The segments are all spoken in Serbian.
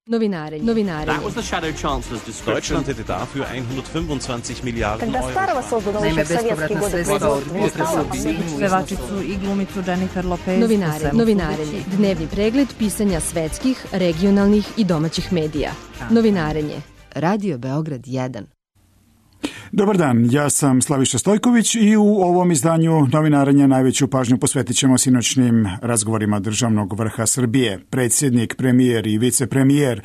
Novinarenje. That was the Shadow Chancellor's description. Deutschland hätte dafür 125 Milijarden Когда Старого создано еще в советские годы производство не стало, pevačicu i glumicu Jennifer Lopez. Novinarenje. Dnevni pregled pisanja svetskih, regionalnih i domaćih medija. Novinarenje. Radio Beograd 1. Dobar dan, ja sam Slaviša Stojković i u ovom izdanju Novinarenja najveću pažnju posvetit ćemo sinoćnim razgovorima državnog vrha Srbije. Predsjednik, premijer i vicepremijer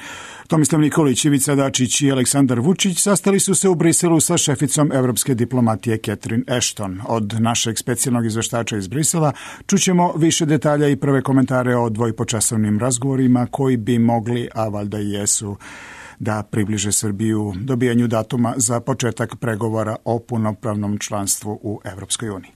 Tomislav Nikolić, Ivica Dačić i Aleksandar Vučić sastali su se u Briselu sa šeficom evropske diplomatije Catherine Ashton. Od našeg specijalnog izveštača iz Brisela čućemo više detalja i prve komentare o dvojpočasovnim razgovorima koji bi mogli, a valjda i jesu, da približe Srbiju dobijanju datuma za početak pregovora o punopravnom članstvu u Evropskoj uniji.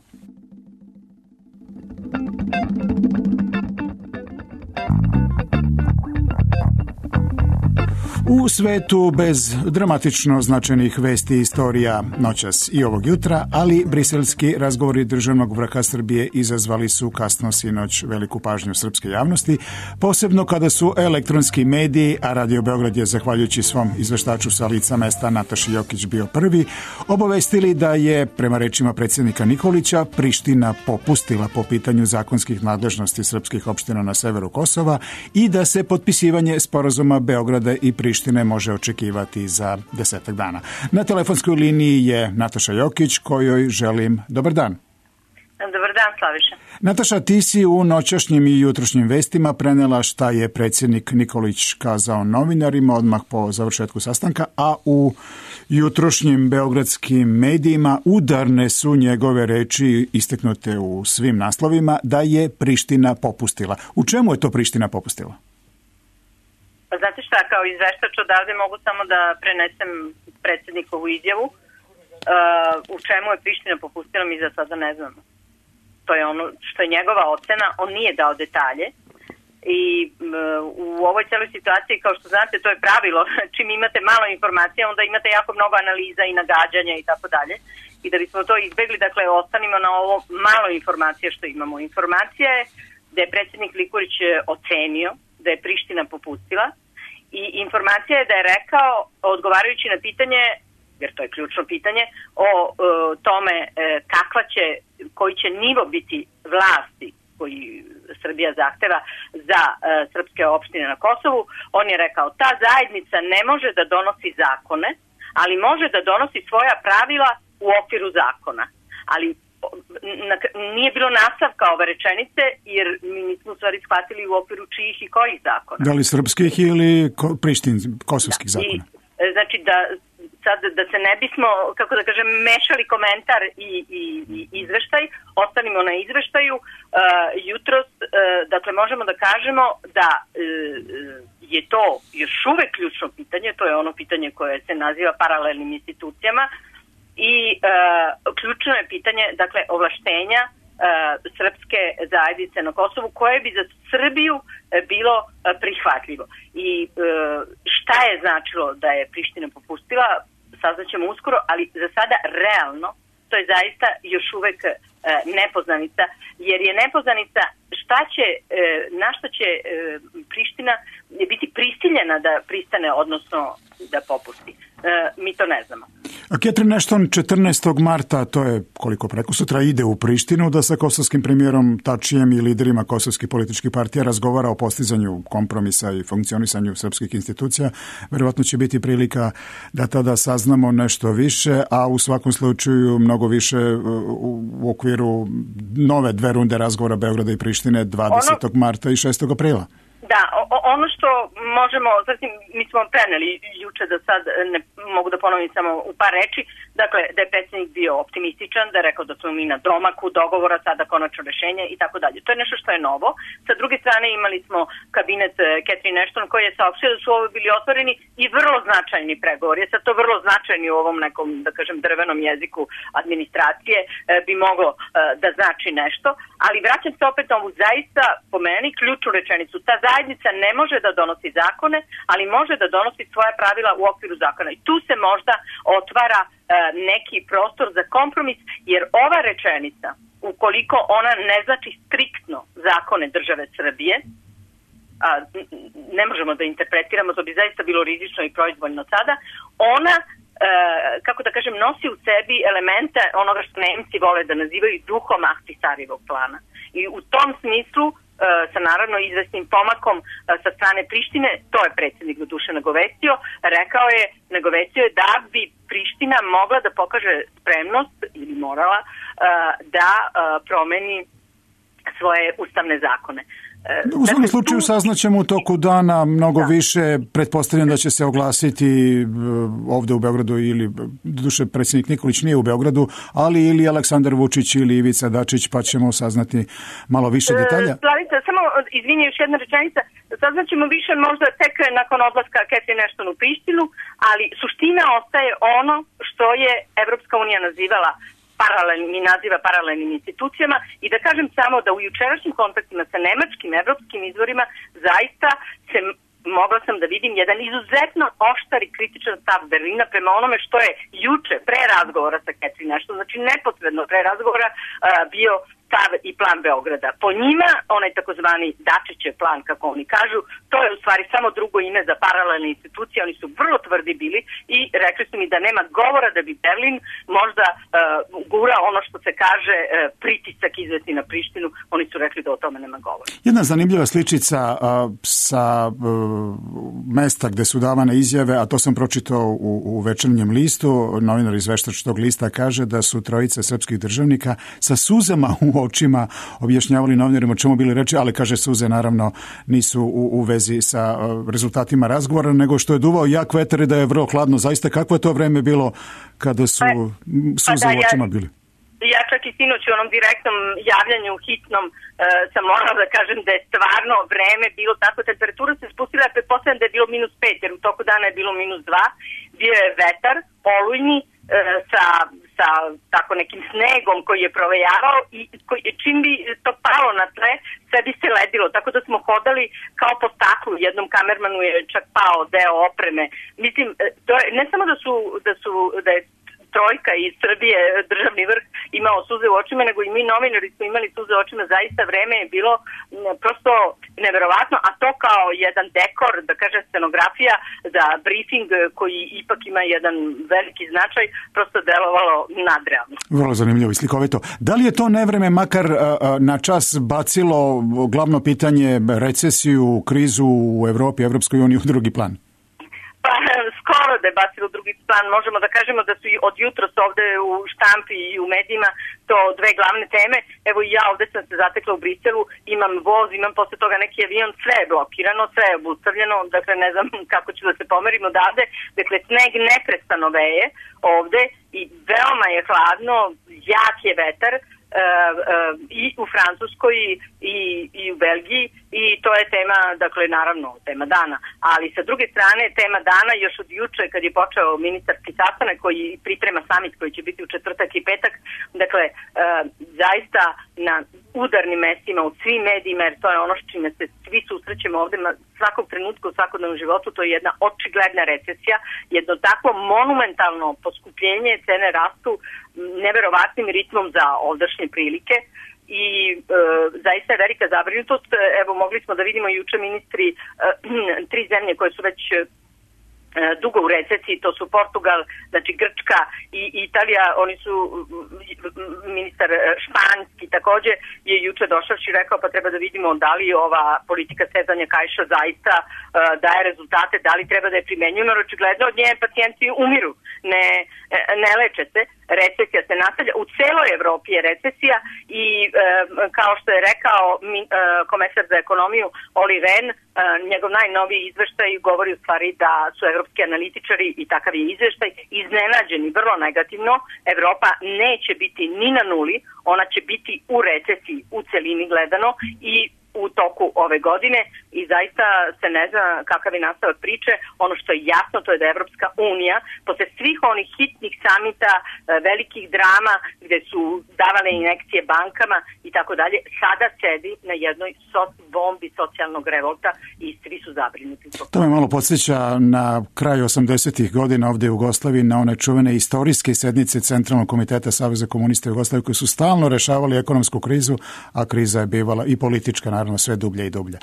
U svetu bez dramatično značajnih vesti i istorija noćas i ovog jutra, ali briselski razgovori državnog vrha Srbije izazvali su kasno sinoć veliku pažnju srpske javnosti, posebno kada su elektronski mediji, a Radio Beograd je zahvaljujući svom izveštaču sa lica mesta Nataši Jokić bio prvi, obavestili da je, prema rečima predsjednika Nikolića, Priština popustila po pitanju zakonskih nadležnosti srpskih opština na severu Kosova i da se potpisivanje sporazuma Beograda i Prištine može očekivati za 10 dana. Na telefonskoj liniji je Nataša Jokić, kojoj želim dobar dan. Dobar dan, Slaviša. Nataša, ti si u noćašnjim i jutrošnjim vestima prenela šta je predsjednik Nikolić kazao novinarima odmah po završetku sastanka, a u jutrošnjim beogradskim medijima udarne su njegove reči istaknute u svim naslovima da je Priština popustila. U čemu je to Priština popustila? Pa znate šta, kao izveštač odavde mogu samo da prenesem predsjednikovu izjavu. U čemu je Priština popustila, mi za sada ne znamo. To je ono što je njegova ocena, on nije dao detalje. I u ovoj celoj situaciji, kao što znate, to je pravilo, čim imate malo informacija, onda imate jako mnogo analiza i nagađanja i tako dalje. I da bismo to izbegli, dakle, ostanimo na ovo malo informacija što imamo. Informacija je da je predsjednik Nikolić ocenio da je Priština popustila i informacija je da je rekao, odgovarajući na pitanje, jer to je ključno pitanje, o tome koji će nivo biti vlasti koji Srbija zahteva za srpske opštine na Kosovu, on je rekao, ta zajednica ne može da donosi zakone, ali može da donosi svoja pravila u okviru zakona. Ali nije bilo nastavka ove rečenice, jer mi nismo u stvari shvatili u okviru čijih i kojih zakona. Da li srpskih ili kosovskih zakona? Znači da se ne bismo, kako da kažem, mešali komentar i izveštaj, ostanimo na izveštaju. Jutros, dakle, možemo da kažemo da je to još uvek ključno pitanje, to je ono pitanje koje se naziva paralelnim institucijama, i ključno je pitanje, dakle, ovlaštenja srpske zajednice na Kosovu koje bi za Srbiju bilo prihvatljivo. I šta je značilo da je Priština popustila, saznaćemo uskoro, ali za sada realno to je zaista još uvek nepoznanica, jer je nepoznanica na šta će Priština biti prisiljena da pristane, odnosno da popusti. Mi to ne znamo. A Catherine Ashton 14. marta, to je koliko prekosutra, ide u Prištinu da sa kosovskim premijerom Tačijem i liderima kosovskih političkih partija razgovara o postizanju kompromisa i funkcionisanju srpskih institucija. Verovatno će biti prilika da tada saznamo nešto više, a u svakom slučaju mnogo više u okviru nove 2 runde razgovora Beograda i Prištine 20. marta i 6. aprila. Da, ono što možemo, zatim mi smo preneli juče, da sad ne mogu da ponovim samo u par reči, dakle da je predsjednik bio optimističan, da je rekao da smo mi na domaku dogovora, sada konačno rešenje i tako dalje. To je nešto što je novo. Sa druge strane imali smo kabinet Catherine Ashton koji je saopštio da su ovo bili otvoreni i vrlo značajni pregovori. Sad to vrlo značajni u ovom nekom, da kažem, drvenom jeziku administracije bi moglo da znači nešto, ali vraćam se opet na ovu zaista, po meni, ključnu rečenicu. Ta zajednica ne može da donosi zakone, ali može da donosi svoja pravila u okviru zakona. I tu se možda otvara neki prostor za kompromis, jer ova rečenica, ukoliko ona ne znači striktno zakone države Srbije, ne možemo da interpretiramo, to bi zaista bilo rizično i proizvoljno sada, ona, kako da kažem, nosi u sebi elemente onoga što Nemci vole da nazivaju duhom Ahtisarijevog plana. I u tom smislu, sa naravno izvesnim pomakom sa strane Prištine, to je predsjednik doduše nagovestio, nagovestio je da bi Priština mogla da pokaže spremnost ili morala da promeni svoje ustavne zakone. U svakom slučaju saznaćemo u toku dana mnogo više. Pretpostavljam da će se oglasiti ovde u Beogradu ili, doduše, predsjednik Nikolić nije u Beogradu, ali ili Aleksandar Vučić ili Ivica Dačić, pa ćemo saznati malo više detalja. Slavica, samo izvini, još jedna rečenica. Saznaćemo više možda tek nakon odlaska Catherine Ashton u Prištinu, ali suština ostaje ono što je Evropska unija nazivala paralelnim institucijama i da kažem samo da u jučerašnjim kontaktima sa nemačkim, evropskim izvorima zaista mogla sam da vidim jedan izuzetno oštar i kritičan stav Berlina prema onome što je juče, pre razgovora sa Catherine Ashton, znači neposredno pre razgovora, bio stav i plan Beograda. Po njima, onaj takozvani Dačićev plan, kako oni kažu, to je u stvari samo drugo ime za paralelne institucije, oni su vrlo tvrdi bili i rekli su mi da nema govora da bi Berlin možda gura ono što se kaže pritisak izvesti na Prištinu, oni su rekli da o tome nema govora. Jedna zanimljiva sličica sa mesta gde su davane izjave, a to sam pročitao u Večernjem listu, novinar iz Veštačkog lista kaže da su trojice srpskih državnika sa suzama u očima objašnjavali novinarima o čemu bili reči, ali kaže suze naravno nisu u vezi sa rezultatima razgovora, nego što je duvao jak vetar i da je vrlo hladno. Zaista, kakvo je to vreme bilo kada su suze u očima bili? Ja čak i sinoć u onom direktnom javljanju hitnom sam morala da kažem da je stvarno vreme bilo tako, temperatura se spustila, pretpostavljam da je bilo -5, jer u toku dana je bilo -2, bio je vetar, olujni, sa tako nekim snegom koji je provejavao i čim bi to palo na tle, sve bi se ledilo, tako da smo hodali kao po staklu, jednom kamermanu je čak pao deo opreme. Mislim, to je, ne samo da je trojka iz Srbije, državni vrh, imao suze u očima, nego i mi novinari smo imali suze u očima, zaista vreme je bilo prosto neverovatno, a to kao jedan dekor, da kažem scenografija za briefing koji ipak ima jedan veliki značaj, prosto delovalo nadrealno. Vrlo zanimljivo i slikovito. Da li je to nevreme makar na čas bacilo glavno pitanje recesiju, krizu u Evropi, Evropskoj uniji u drugi plan? Pa skoro da je bacilo drugi plan, možemo da kažemo da su i od jutros ovde u štampi i u medijima to dve glavne teme. Evo i ja ovde sam se zatekla u Briselu, imam voz, imam posle toga neki avion, sve je blokirano, sve je obustavljeno, dakle ne znam kako ću da se pomerim odavde, dakle sneg neprestano veje ovde i veoma je hladno, jak je vetar, i u Francuskoj i u Belgiji i to je tema, dakle naravno tema dana, ali sa druge strane tema dana još od juče kad je počeo ministarski sastanak koji priprema samit koji će biti u četvrtak i petak, dakle zaista na udarnim mestima u svim medijima, jer to je ono s čime se svi susrećemo ovde svakog trenutka u svakodnevnom životu, to je jedna očigledna recesija, jedno takvo monumentalno poskupljenje, cene rastu neverovatnim ritmom za ovdašnje prilike i zaista je velika zabrinutost. Evo, mogli smo da vidimo juče ministri 3 zemlje koje su već dugo u recesiji, to su Portugal, znači Grčka i Italija, oni su, ministar španski takođe je juče došavši rekao pa treba da vidimo da li ova politika stezanja kaiša zaista daje rezultate, da li treba da je primenjujemo, jer očigledno od nje pacijenti umiru, ne leče se, recesija se nastavlja, u celoj Evropi je recesija i kao što je rekao komesar za ekonomiju Oli Rehn, njegov najnoviji izveštaj govori u stvari da su evropski analitičari i takav je izveštaj iznenađeni vrlo negativno. Evropa neće biti ni na nuli, ona će biti u recesiji u celini gledano i u toku ove godine i zaista se ne zna kakav je nastavak priče. Ono što je jasno to je da Evropska unija posle svih onih hitnih samita, velikih drama gde su davale injekcije bankama i tako dalje, sada sedi na jednoj bombi socijalnog revolta i svi su zabrinuti. To me malo podsjeća na kraj 80-ih godina ovde u Jugoslaviji na one čuvene istorijske sednice Centralnog komiteta Saveza komunista Jugoslavije koji su stalno rešavali ekonomsku krizu, a kriza je bivala i politička naravno naravno sve dublje i dublje.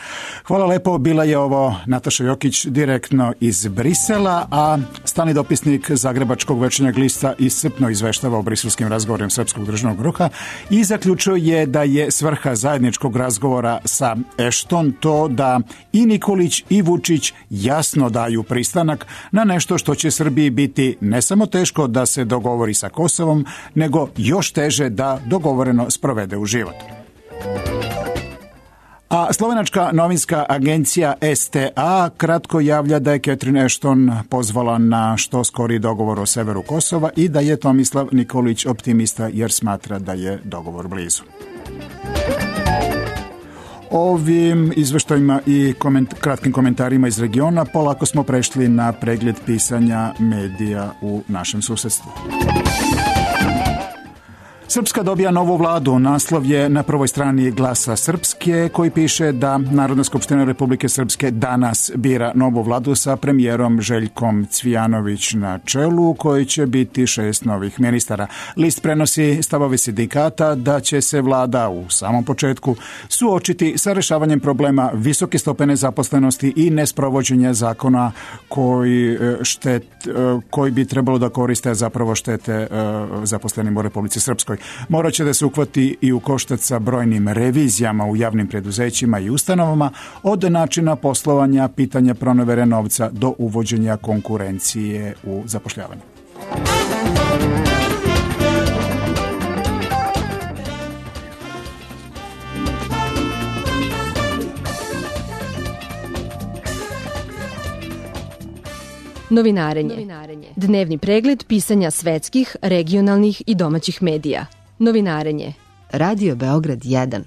Hvala lepo, bila je ovo Nataša Jokić direktno iz Brisela, a stalni dopisnik Zagrebačkog Večernjeg lista iscrpno izveštava o briselskim razgovorima Srpskog državnog vrha i zaključuje da je svrha zajedničkog razgovora sa Ashton to da i Nikolić i Vučić jasno daju pristanak na nešto što će Srbiji biti ne samo teško da se dogovori sa Kosovom, nego još teže da dogovoreno sprovede u život. A slovenačka novinska agencija STA kratko javlja da je Catherine Ashton pozvala na što skoriji dogovor o severu Kosova i da je Tomislav Nikolić optimista jer smatra da je dogovor blizu. Ovim izveštajima i kratkim komentarima iz regiona polako smo prešli na pregled pisanja medija u našem susedstvu. Srpska dobija novu vladu. Naslov je na prvoj strani Glasa Srpske koji piše da Narodna skupština Republike Srpske danas bira novu vladu sa premijerom Željkom Cvijanović na čelu, koji će biti 6 novih ministara. List prenosi stavove sindikata da će se vlada u samom početku suočiti sa rešavanjem problema visoke stope nezaposlenosti i nesprovođenja zakona koji bi trebalo da koriste, a zapravo štete zaposlenim u Republici Srpskoj. Morat će da se uhvati i u koštac sa brojnim revizijama u javnim preduzećima i ustanovama, od načina poslovanja, pitanja pronevere novca do uvođenja konkurencije u zapošljavanju. Novinarenje. Dnevni pregled pisanja svetskih, regionalnih i domaćih medija. Novinarenje. Radio Beograd 1.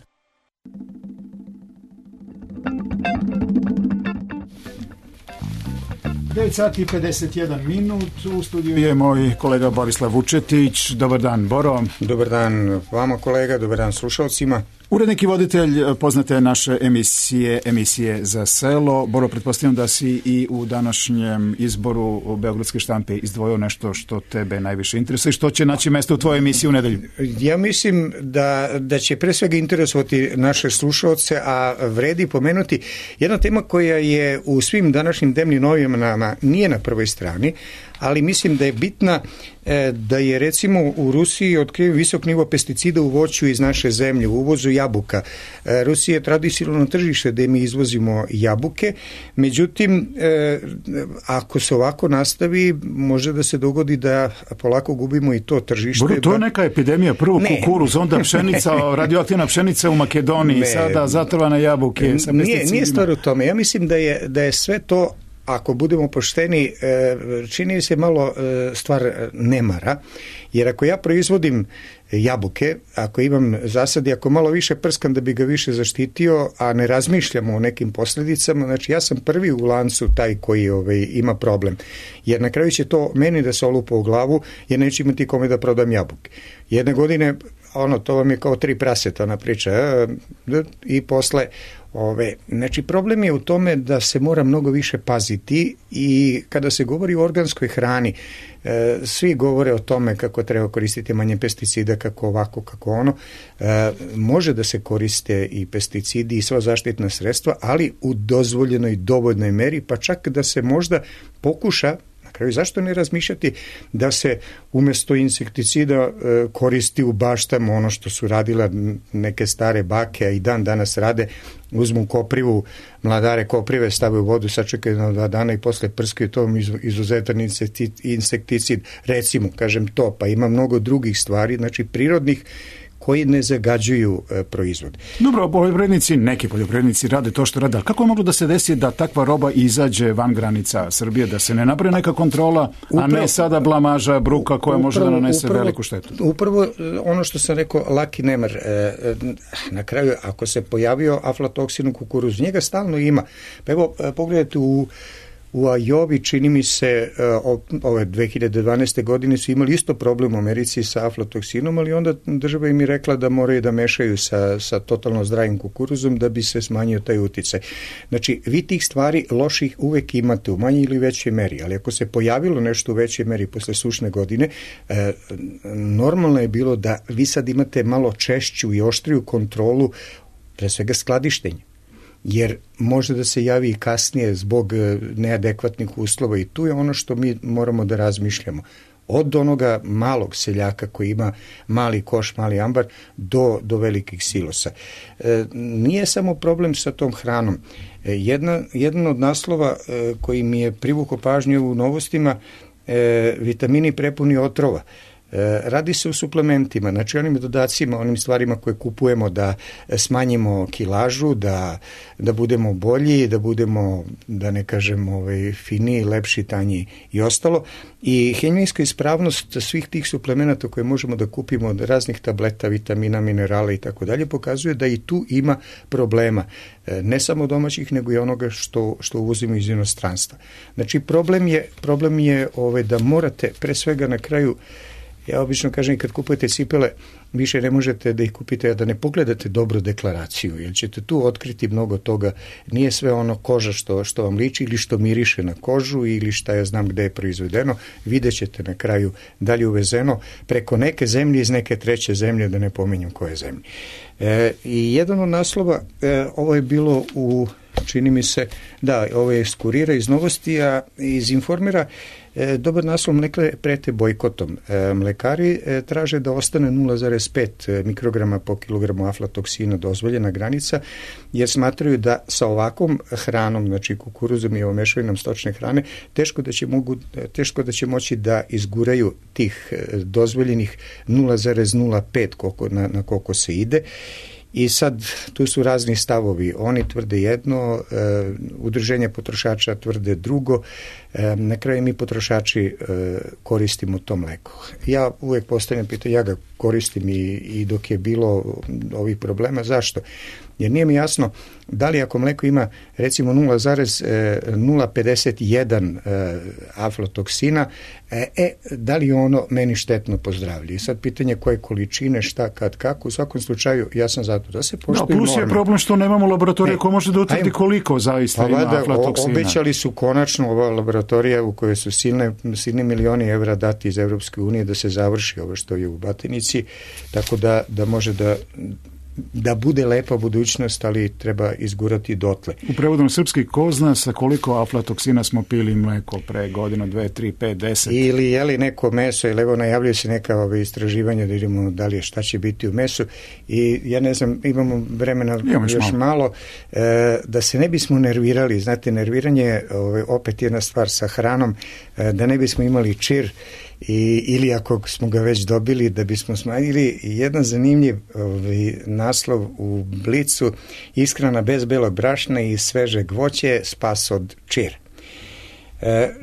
Sati 51 minut. U studiju je moj kolega Borislav Vučetić. Dobar dan, Boro. Dobar dan vama, kolega. Dobar dan slušalcima. Urednik i voditelj poznate naše emisije za selo. Boro, pretpostavljam da si i u današnjem izboru Beogradske štampe izdvojio nešto što tebe najviše interesuje, što će naći mesto u tvojoj emisiji u nedelju. Ja mislim da će pre svega interesovati naše slušalce, a vredi pomenuti jedna tema koja je u svim današnjim dnevnim novinama nije na prvoj strani, ali mislim da je bitna, da je recimo u Rusiji otkriven visok nivo pesticida u voću iz naše zemlje, u uvozu jabuka. Rusija je tradicionalno tržište da mi izvozimo jabuke, međutim, ako se ovako nastavi, može da se dogodi da polako gubimo i to tržište. Boro, to je neka epidemija, prvo kukuruz, onda pšenica, radioaktivna pšenica u Makedoniji, sada zatrovane jabuke sa pesticidima. Nije stvar u tome, ja mislim da je sve to, ako budemo pošteni, čini se malo stvar nemara, jer ako ja proizvodim jabuke, ako imam zasadi, ako malo više prskam da bi ga više zaštitio, a ne razmišljamo o nekim posljedicama, znači ja sam prvi u lancu taj koji ima problem. Jer na kraju će to meni da se olupa u glavu, jer neću imati kome da prodam jabuke. Jedne godine, to vam je kao 3 praseta, ona priča, i posle znači problem je u tome da se mora mnogo više paziti i kada se govori o organskoj hrani, svi govore o tome kako treba koristiti manje pesticida, kako ovako, kako ono. Može da se koriste i pesticidi i sva zaštitna sredstva, ali u dozvoljenoj dovoljnoj meri, pa čak da se možda pokuša, na kraju zašto ne razmišljati da se umjesto insekticida koristi u baštama ono što su radila neke stare bake, a i dan danas rade, uzmu koprivu, mladare koprive, stave u vodu, sačekaju na 2 dana i posle prskaju to izuzetan insekticid, recimo, kažem to, pa ima mnogo drugih stvari, znači prirodnih, koji ne zagađuju proizvod. Dobro, neki poljoprivrednici rade to što rade. Kako je moglo da se desi da takva roba izađe van granica Srbije, da se ne napravi neka kontrola, a ne sada blamaža, bruka koja može da nanese veliku štetu? Upravo ono što sam rekao, laki nemar. Na kraju, ako se pojavio aflatoksin u kukuruzu, njega stalno ima. Pa evo, pogledajte u Ajovi, čini mi se, ove 2012. godine su imali isto problem u Americi sa aflatoksinom, ali onda država im je rekla da moraju da mešaju sa totalno zdravim kukuruzom da bi se smanjio taj uticaj. Znači, vi tih stvari loših uvek imate u manjoj ili većoj meri, ali ako se pojavilo nešto u većoj meri posle sušne godine, normalno je bilo da vi sad imate malo češću i oštriju kontrolu, pre svega skladištenja. jer može da se javi i kasnije zbog neadekvatnih uslova i tu je ono što mi moramo da razmišljamo. Od onoga malog seljaka koji ima mali koš, mali ambar, do velikih silosa. Nije samo problem sa tom hranom. Jedan od naslova koji mi je privukao pažnju u novostima, vitamini prepuni otrova. Radi se o suplementima, znači onim dodacima, onim stvarima koje kupujemo da smanjimo kilažu, da budemo bolji, da budemo, da ne kažem, finiji, lepši, tanji i ostalo. I hemijska ispravnost svih tih suplemenata koje možemo da kupimo od raznih tableta, vitamina, minerala i tako dalje, pokazuje da i tu ima problema. Ne samo domaćih, nego i onoga što uvozimo iz inostranstva. Znači problem je da morate pre svega na kraju. Ja obično kažem i kad kupujete cipele, više ne možete da ih kupite, a da ne pogledate dobro deklaraciju, jer ćete tu otkriti mnogo toga. Nije sve ono koža što vam liči ili što miriše na kožu ili šta ja znam gde je proizvedeno. Vidjet ćete na kraju da li je uvezeno preko neke zemlje iz neke treće zemlje, da ne pominjem koje zemlje. I jedan od naslova, ovo je bilo čini mi se, da, ovo je iz Kurira, iz Novosti, a iz Informera, dobar naslov, mlekare prete bojkotom. Mlekari traže da ostane 0,5 mikrograma po kilogramu aflatoksina dozvoljena granica, jer smatraju da sa ovakvom hranom, znači kukuruzom i mešavinom stočne hrane, teško da će moći da izguraju tih dozvoljenih 0,05 na koliko se ide. I sad tu su razni stavovi. Oni tvrde jedno, udruženje potrošača tvrde drugo. Na kraju mi potrošači koristimo to mleko. Ja uvek postavljam pitanje, ja ga koristim i dok je bilo ovih problema. Zašto? Jer nije mi jasno da li ako mleko ima recimo 0,051 aflatoksina, da li ono meni štetno po zdravlju. I sad pitanje koje količine, šta, kad, kako. U svakom slučaju ja sam zato da se poštuju norme. Plus je problem što nemamo laboratorije ko može da utvrdi koliko zaista ima aflatoksina. Obećali su konačno ova laboratorija u kojoj su silni milioni evra dati iz Evropske unije da se završi ovo što je u Batinici, tako da može da bude lepa budućnost, ali treba izgurati dotle. U prevodu srpski, ko zna sa koliko aflatoksina smo pili mleko pre godinu, 2, 3, 5, 10? Ili jeli neko meso, ili evo najavljaju se neka istraživanja da vidimo da li je šta će biti u mesu i ja ne znam, imamo vremena još malo, da se ne bismo nervirali, znate, nerviranje je opet jedna stvar sa hranom, da ne bismo imali čir ili ako smo ga već dobili da bismo smanjili. Jedan zanimljiv naslov u Blicu: ishrana bez belog brašna i svežeg voće, spas od čira.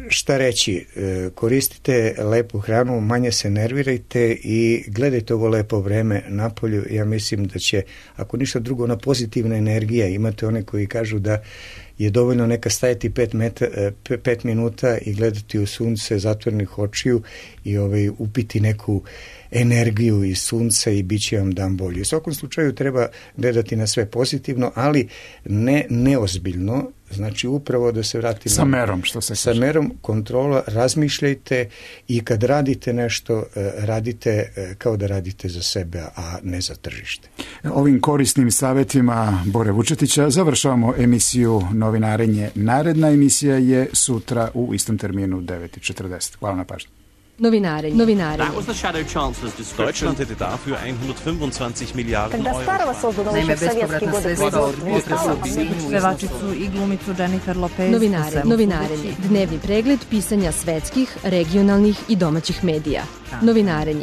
Šta reći, koristite lepu hranu, manje se nervirajte i gledajte ovo lepo vreme napolju. Ja mislim da će, ako ništa drugo, ona pozitivna energija. Imate one koji kažu da je dovoljno neka stajati 5 minuta i gledati u sunce zatvorenih očiju i upiti neku energiju iz sunca i bit će vam dan bolji. U svakom slučaju treba gledati na sve pozitivno, ali ne neozbiljno, znači upravo da se vratimo sa merom, što se sa merom, kontrola, razmišljajte i kad radite nešto, radite kao da radite za sebe, a ne za tržište. Ovim korisnim savjetima Bore Vučetića završavamo emisiju Novinarenje. Naredna emisija je sutra u istom terminu 9:40. Hvala na pažnju. Novinare. That was the Shadow Chancellor's description. Deutschland hätte dafür 125 Milliarden Когда Euro. старого создано еще в советские годы производство. Pevačicu i glumicu Jennifer Lopez. Novinarenje. Dnevni pregled pisanja svetskih, regionalnih i domaćih medija. Novinarenje.